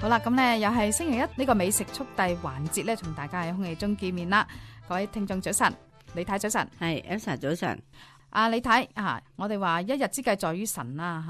好啦，咁咧又係星期一呢個美食速遞環節咧，同大家喺空氣中見面啦。各位聽眾早晨，李太早晨，係 Elsa 早晨。李太我哋話一日之計在於晨啦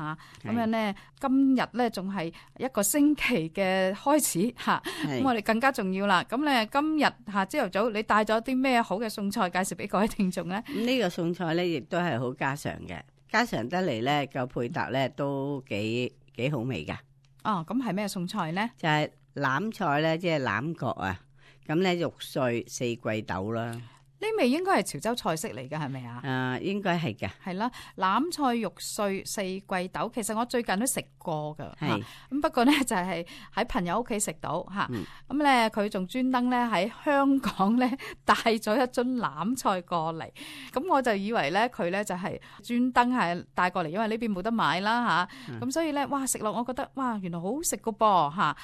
吓，咁樣咧今日咧仲係一個星期嘅開始吓，咁我哋更加重要啦。咁咧今日朝頭早你帶咗啲咩好嘅餸菜介紹俾各位聽眾咧？呢個餸菜咧亦都係好家常嘅，家常得嚟咧個配搭咧都幾好味噶。哦，咁係咩餸菜咧？就係欖菜咧，即係欖角啊，咁咧肉碎四季豆啦。呢味應該係潮州菜式嚟嘅，係咪啊？應該係嘅。係啦，欖菜肉碎四季豆，其實我最近都食過㗎。係咁，不過咧就係喺朋友屋企食到嚇。咁咧佢仲專登咧喺香港咧帶咗一樽欖菜過嚟。咁我就以為咧佢咧就係專登係帶過嚟，因為呢邊冇得買啦嚇。咁所以咧，哇食落我覺得哇原來好好食㗎噃嚇。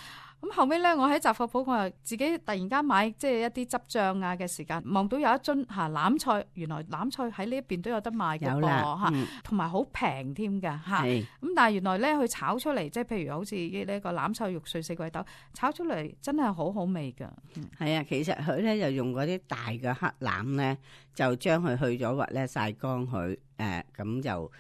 咁後尾咧，我喺雜貨鋪，我又自己突然間買即係一啲汁醬啊嘅時間，望到有一樽欖菜，原來欖菜喺呢一邊都有得賣嘅噃嚇，同埋好平添㗎嚇。咁但係原來咧佢炒出嚟，即係譬如好似呢個欖菜肉碎四季豆，炒出嚟真係好好味㗎。係啊，其實佢咧就用嗰啲大嘅黑欖咧，就將佢去咗核咧曬乾佢，咁就。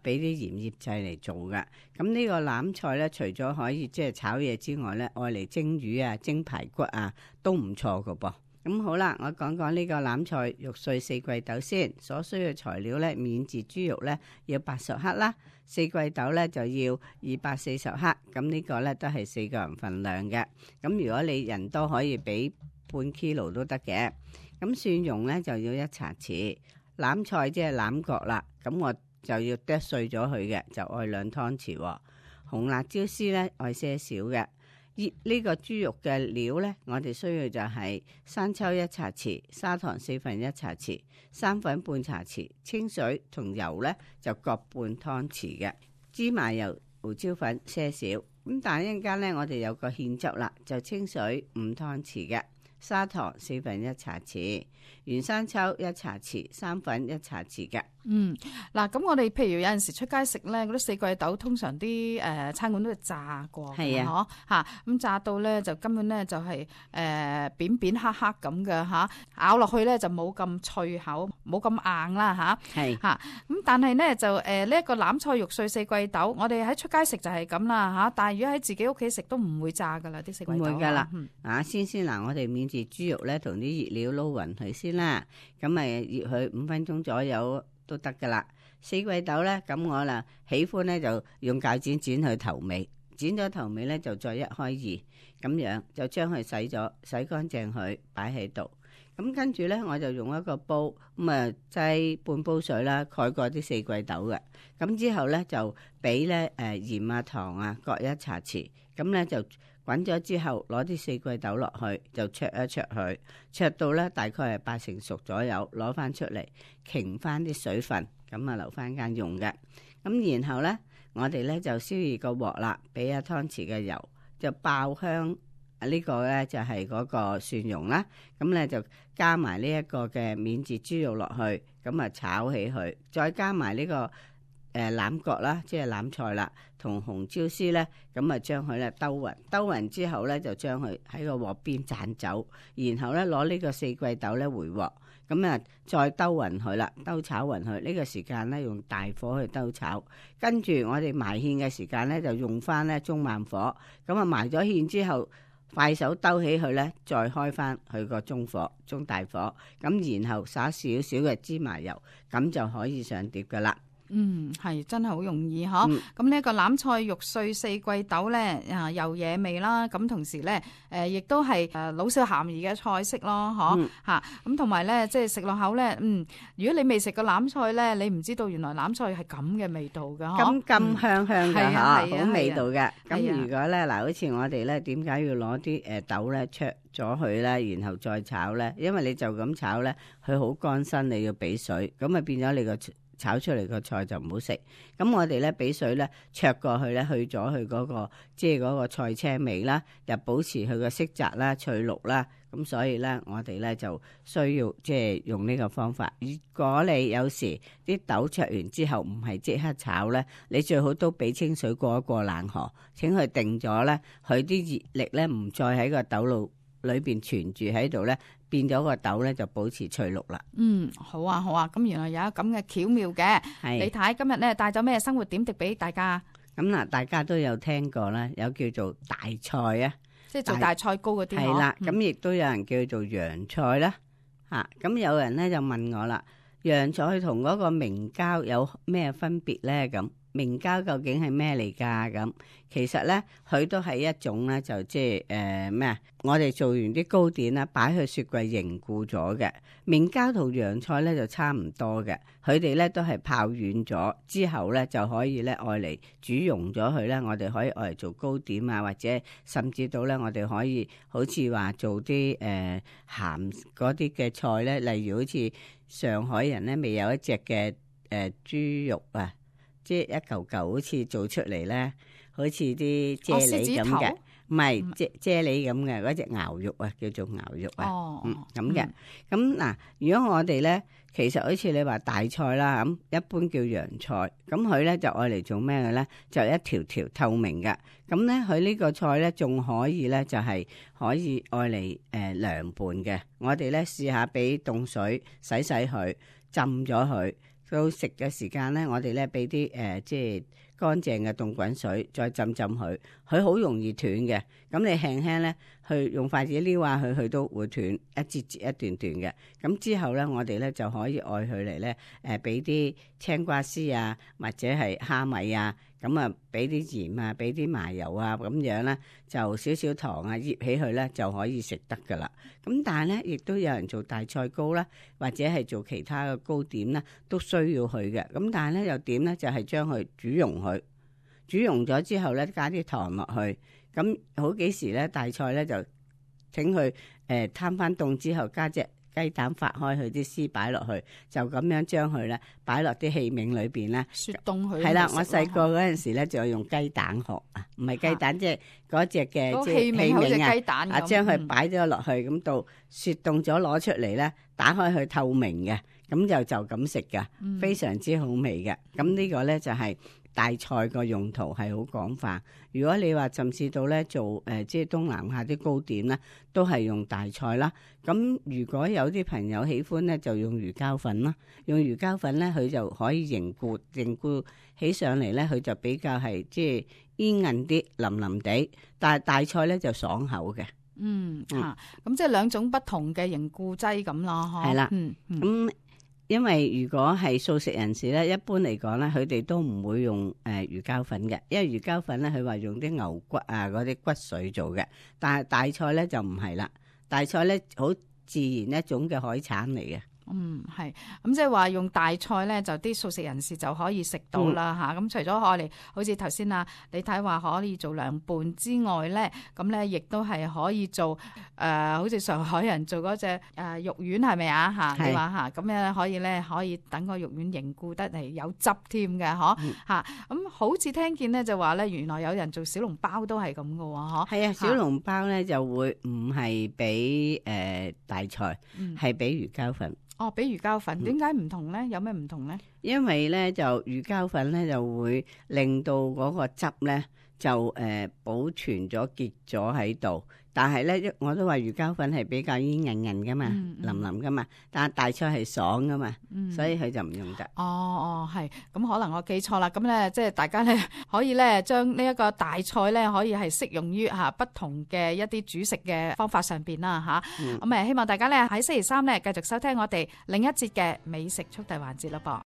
俾啲鹽醃製嚟做㗎。咁呢個欖菜咧，除咗可以即係炒嘢之外咧，愛嚟蒸魚啊、蒸排骨啊都唔錯㗎噃。咁好啦，我講講呢個欖菜肉碎四季豆先。所需嘅材料咧，免治豬肉咧要80克啦，四季豆咧就要240克。咁呢個咧都係4個人份量嘅。咁如果你人多可以俾半 kilo 都得嘅。咁蒜蓉咧就要1茶匙，欖菜即係欖角啦。咁我就要剁碎咗佢嘅，就愛2湯匙。紅辣椒絲咧愛些少嘅。呢個豬肉嘅料咧，我哋需要就係生抽1茶匙，砂糖1/4茶匙，生粉半茶匙，清水同油咧就各半湯匙嘅。芝麻油、胡椒粉些少。咁但係一陣間咧，我哋有個芡汁啦，就清水5湯匙嘅。砂糖1/4茶匙，原生抽1茶匙，生粉1茶匙嘅。嗱，咁我哋譬如有陣時出街食咧，嗰啲四季豆通常啲餐館都係炸過嘅，嗬嚇，咁炸到咧就根本咧就係扁扁黑黑咁嘅嚇，咬落去咧就冇咁脆口，冇咁硬啦嚇，係嚇。咁但係咧就呢一個欖菜肉碎四季豆，我哋喺出街食就係咁啦嚇，但係如果喺自己屋企食都唔會炸噶啦啲四季豆。唔會噶啦，先嗱，我哋免治豬肉咧同啲熱料撈勻佢先啦，咁咪醃佢5分鐘左右都得噶啦。四季豆咧，咁我啦喜歡咧就用鉸剪剪佢頭尾，剪咗頭尾咧就再1開2，咁樣就將佢洗乾淨佢擺喺度。咁跟住咧我就用一個煲，咁啊擠半煲水啦，蓋過啲四季豆嘅。咁之後咧就俾咧鹽啊糖啊各1茶匙，咁咧就滾咗之後攞啲四季豆落去，就焯一焯佢，焯到咧大概係8成熟左右，攞翻出嚟擎翻啲水分，咁啊留翻間用嘅。咁然後咧我哋咧就燒熱個鑊啦，俾1湯匙嘅油，就爆香。呢個咧就係嗰個蒜蓉啦，咁咧就加埋呢一個嘅免治豬肉落去，咁啊炒起佢，再加埋呢個欖角啦，即係欖菜啦，同紅椒絲咧，咁啊將佢咧兜勻之後咧就將佢喺個鑊邊斬走，然後咧攞呢個四季豆咧回鑊，咁啊再兜勻佢啦，兜炒勻佢。呢個時間咧用大火去兜炒，跟住我哋埋芡嘅時間咧就用翻咧中慢火，咁啊埋咗芡之後，快手兜起佢咧，再開翻佢個中大火，咁然後灑少少嘅芝麻油，咁就可以上碟噶啦。係真係好容易嗬。咁呢一個欖菜肉碎四季豆咧，又惹味啦。咁同時咧，亦都係老少咸宜嘅菜式咯，嗬吓。咁同埋咧，即係食落口咧，如果你未食過欖菜咧，你唔知道原來欖菜係咁嘅味道噶，咁香嘅吓，好味道嘅。咁如果咧嗱，好似我哋咧，點解要攞啲豆咧焯咗佢咧，然後再炒咧？因為你就咁炒咧，佢好乾身，你要俾水，咁啊變咗你個炒出嚟個菜就唔好食。咁我哋咧俾水咧焯過去咧，去咗佢嗰個即係嗰個菜青味啦，又保持佢個色澤啦、翠綠啦。咁所以咧，我哋咧就需要即係用呢個方法。如果你有時啲豆焯完之後唔係即刻炒咧，你最好都俾清水過一過冷河，請佢定咗咧，佢啲熱力咧唔再喺個豆露裏邊存住喺度咧，變咗個豆咧就保持翠綠啦。好啊好啊，咁原來有咁嘅巧妙嘅。李太今日咧帶咗咩生活點滴俾大家？咁嗱，大家都有聽過啦，有叫做大菜啊，即係做大菜糕嗰啲。係啦，咁亦都有人叫做洋菜啦。咁有人咧就問我啦，洋菜同嗰個明膠有咩分別咧？咁明膠究竟係咩嚟㗎？咁其實咧，佢都係一種咧，就即係咩啊？我哋做完啲糕點啦，擺去雪櫃凝固咗嘅。明膠同洋菜咧就差唔多嘅，佢哋咧都係泡軟咗之後咧就可以咧愛嚟煮溶咗佢咧，我哋可以愛嚟做糕點啊，或者甚至到咧我哋可以好似話做啲鹹嗰啲嘅菜咧，例如好似上海人咧未有一隻嘅豬肉啊。即係一嚿嚿好似做出嚟咧，好似啲啫喱咁嘅，唔係啫喱咁嘅嗰隻牛肉啊，叫做牛肉啊，咁嘅。咁嗱，如果我哋咧，其實好似你話大菜啦，咁一般叫洋菜，咁佢咧就愛嚟做咩嘅咧？就一條條透明嘅。咁咧，佢呢個菜咧仲可以咧，就係可以愛嚟涼拌嘅。我哋咧試下俾凍水洗佢，浸咗佢。到食嘅時間咧，我哋咧俾啲即係乾淨嘅凍滾水，再浸佢，佢好容易斷嘅。咁你輕輕咧去用筷子撩下佢都會斷一節節一段段嘅。咁之後咧，我哋咧就可以愛佢嚟咧俾啲青瓜絲啊，或者係蝦米啊，咁啊俾啲鹽啊，俾啲麻油啊，咁樣咧就少少糖啊，醃起佢咧就可以食得噶啦。咁但係咧，亦都有人做大菜糕啦，或者係做其他嘅糕點啦，都需要佢嘅。咁但係咧又點咧？就係將佢煮溶佢，煮溶咗之後咧加啲糖落去。咁好幾時咧大菜咧就請佢攤翻凍之後加隻雞蛋發開佢啲絲擺落去，就咁樣將佢咧擺落啲器皿裏邊咧雪凍佢。係啦，我細個嗰陣時咧就用雞蛋殼啊，唔係雞蛋，即係嗰隻嘅即係器皿啊，將佢擺咗落去，咁到雪凍咗攞出嚟咧，打開佢透明嘅，咁就咁食噶，非常之好味嘅。咁呢個咧就係大菜個用途係好廣泛。如果你話甚至到咧做即係東南亞啲糕點咧，都係用大菜啦。咁如果有啲朋友喜歡咧，就用魚膠粉啦。用魚膠粉咧，佢就可以凝固起上嚟咧，佢就比較係即係煙韌啲、腍腍地。但係大菜咧就爽口嘅。咁即係兩種不同嘅凝固劑咁咯，係啦，咁。因為如果係素食人士咧，一般嚟講咧，佢哋都唔會用魚膠粉嘅，因為魚膠粉咧，佢話用啲牛骨啊嗰啲骨髓做嘅，但係大菜咧就唔係啦，大菜咧好自然一種嘅海產嚟嘅。係，咁即係話用大菜咧，就啲素食人士就可以食到啦吓。咁除咗我哋好似頭先你睇話可以做涼拌之外咧，咁咧亦都係可以做好似上海人做嗰隻肉丸係咪啊吓？你話吓咁樣可以等個肉丸凝固得嚟有汁添嘅嗬吓。咁好似聽見咧就話咧，原來有人做小籠包都係咁嘅喎嗬。係啊，小籠包咧就會唔係俾大菜，係俾魚膠粉。俾魚膠粉，點解唔同咧？有咩唔同咧？因為咧就魚膠粉咧就會令到嗰個汁咧就保存咗結咗喺度，但係咧我都話魚膠粉係比較煙韌韌噶嘛，腍腍噶嘛，但係大菜係爽噶嘛，所以佢就唔用得。係，咁可能我記錯啦。咁咧即係大家咧可以咧將呢一個大菜咧可以係適用於不同嘅一啲煮食嘅方法上邊啦吓。咁希望大家咧喺星期三咧繼續收聽我哋另一節嘅美食速遞環節啦噃。